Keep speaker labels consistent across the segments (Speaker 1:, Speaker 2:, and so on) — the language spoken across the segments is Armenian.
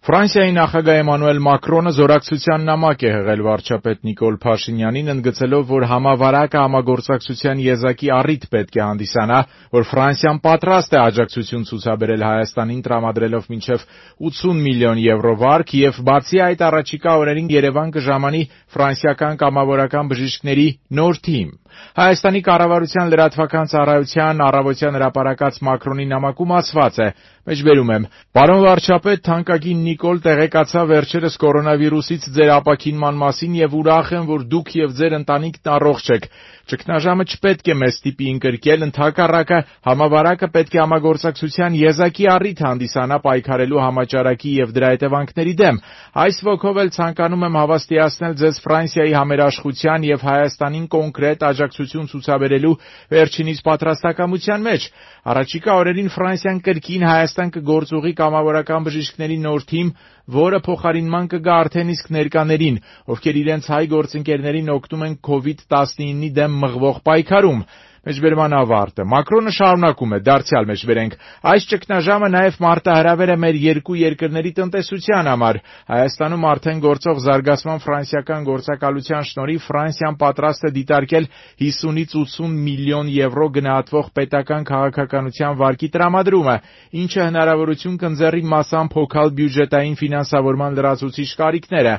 Speaker 1: Ֆրանսիայի նախագահ Էմանուել Մակրոնը զորակցության նամակ է հղել վարչապետ Նիկոլ Փաշինյանին, ընդգծելով, որ համավարակը համագործակցության եզակի առիթ պետք է հանդիսանա, որ Ֆրանսիան պատրաստ է աջակցություն ցուցաբերել Հայաստանին, տրամադրելով մինչև 80 միլիոն եվրո վարկ, եւ բացի այդ առաջիկա օրերին Երևան կժամանի ֆրանսիական կամավորական բժիշկների նոր թիմ։ Հայաստանի կառավարության լրատվական ծառայության առավոտյան հրապարակած Մակրոնի նամակում ասված է. Մեջբերում եմ. «Պարոն վարչապետ, թանկագին Նիկոլ, տեղեկացա վերջերս կորոնավիրուսից ձեր ապաքինման մասին եւ ուրախ եմ, որ դուք եւ ձեր ընտանիքն առողջ եք։ Ճգնաժամը չպետք է մեզ ստիպի ընկրկել, ընդհակառակը համավարակը պետք է համագործակցության եզակի առիթ հանդիսանա պայքարելու համաճարակի եւ դրա հետևանքների դեմ։ Այս ոգով էլ ցանկանում եմ հավաստիացնել ձեզ Ֆրանսիայի համերաշխության եւ Հայաստանին կոնկրետ աջակցություն ցուցաբերելու վերջինիս պատրաստակամության մեջ։ Առաջիկա օրերին Ֆրանսիան կրկին Հայաստան կգործուղի կամավորական բժիշկների նոր թիմ, որը փոխարինման կգա արդեն իսկ ներկաներին, ովքեր իրենց հայ գործընկերներին օգնում են COVID-19-ի դեմ մղվող պայքարում»։ Մեջբերման ավարտը։ Մակրոնը շարունակում է. «Դարձյալ մեջբերենք. այս ճգնաժամը նաև մարտահրավեր է մեր երկու երկրների տնտեսության համար։ Հայաստանում արդեն գործող զարգացման ֆրանսիական գործակալության շնորհիվ Ֆրանսիան պատրաստ է դիտարկել 50-ից 80 միլիոն եվրո գնահատվող պետական քաղաքականության վարկի տրամադրումը, ինչը հնարավորություն կընձեռի մասամբ հոգալ բյուջետային ֆինանսավորման լրացուցիչ կարիքները,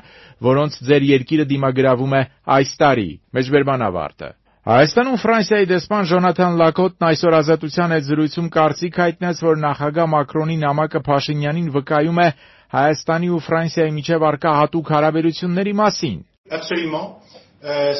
Speaker 1: որոնց ձեր երկիրը դիմագրավում է այս տարի»։ Մեջբերման ավարտը։ Հայաստանում Ֆրանսիայի դեսպան Ժոնաթան Լակոտն այսօր Ազատության հետ զրույցում կարծիք հայտնեց, որ նախագահ Մակրոնի նամակը Փաշինյանին վկայում է Հայաստանի ու Ֆրանսիայի միջև առկա հատուկ հարաբերությունների մասին։
Speaker 2: Absolument.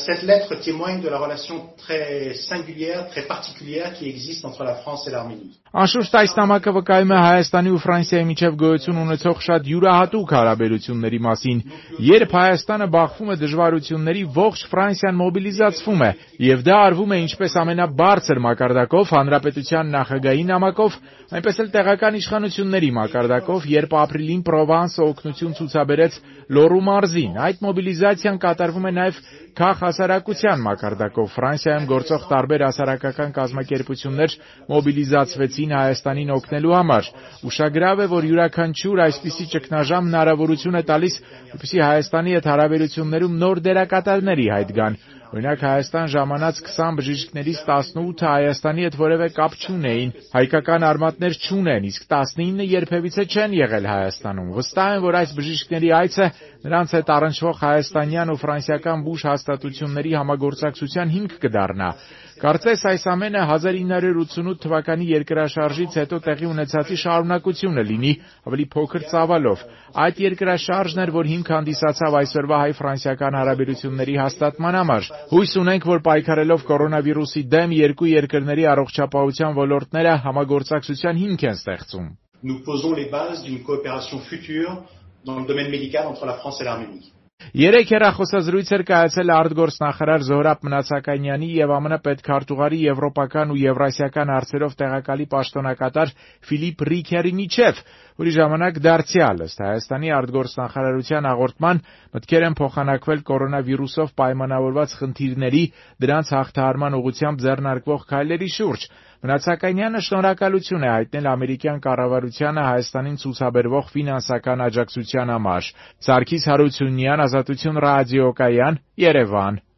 Speaker 2: Cette lettre témoigne de la relation très singulière, très particulière qui existe entre la France et l'Arménie.
Speaker 1: Անշուշտ այս նամակը վկայում է Հայաստանի ու Ֆրանսիայի միջև գոյություն ունեցող շատ յուրահատուկ հարաբերությունների մասին։ Երբ Հայաստանը բախվում է դժվարությունների, ողջ Ֆրանսիան մոբիլիզացվում է, եւ դա արվում է ինչպես ամենաբարձր մակարդակով հանրապետության նախագահի նամակով, այնպես էլ տեղական իշխանությունների մակարդակով, երբ ապրիլին Պրովանսը օգնություն ցուցաբերեց Լոռու մարզին։ Այդ մոբիլիզացիան կատարվում է նաեւ քաղաքահասարակության մակարդակով։ Ֆրանսիայում գործող տարբեր հասարակական կազմակերպություններ մոբիլիզացվեցին Հայաստանին օգնելու համար։ Ուշագրավ է, որ յուրաքանչյուր այսպիսի ճգնաժամ հնարավորություն է տալիս, որպեսզի Հայաստանի հետ հարաբերություններում նոր դերակատարներ հայտ գան։ Օրինակ Հայաստան ժամանած 20 բժիշկներից 18-ը Հայաստանի հետ որևէ կապ չունեին, հայկական արմատներ չունեն, իսկ 19-ը երբևիցե չեն եղել Հայաստանում։ Վստահ եմ, որ այս բժիշկների այցը նրանց հետ առնչվող հայաստանյան ու ֆրանսիական բուժ հաստատությունների համագործակցության հիմք կդառնա։ Կարծես այս ամենը 1988 թվականի երկրաշարժից հետո տեղի ունեցածի շարունակությունը լինի, ավելի փոքր ծավալով։ Այդ երկրաշարժն էր, որ հիմք հանդիսացավ այսօրվա հայ-ֆրանսիական հարաբերությունների հաստատման համար։ Հույս ունենք, որ պայքարելով կորոնավիրուսի դեմ երկու երկրների առողջապահության ոլորտները համագործակցության հիմք են ստեղծում։
Speaker 2: Nous posons les bases d'une coopération future dans le domaine médical entre la France et l'Arménie.
Speaker 1: Երեք հեռախոսազրույց էր կայացել արտգործնախարար Զոհրաբ Մնացականյանի եւ ԱՄՆ պետքարտուղարի եվրոպական ու եվրասիական հարցերով տեղակալի պաշտոնակատար Ֆիլիպ Ռիքերի միջև, որի ժամանակ դարձյալ ըստ Հայաստանի արտգործնախարարության հաղորդման մտքեր են փոխանակվել կորոնավիրուսով պայմանավորված խնդիրների, դրանց հաղթահարման ուղղությամբ ձեռնարկվող քայլերի շուրջ։ Մնացականյանը շնորհակալություն է հայտնել ամերիկյան կառավարությանը Հայաստանին ցուցաբերվող ֆինանսական աջակցության համար։ Սարգիս Հարությունյան, Ազատություն ռադիոկայան, Երևան։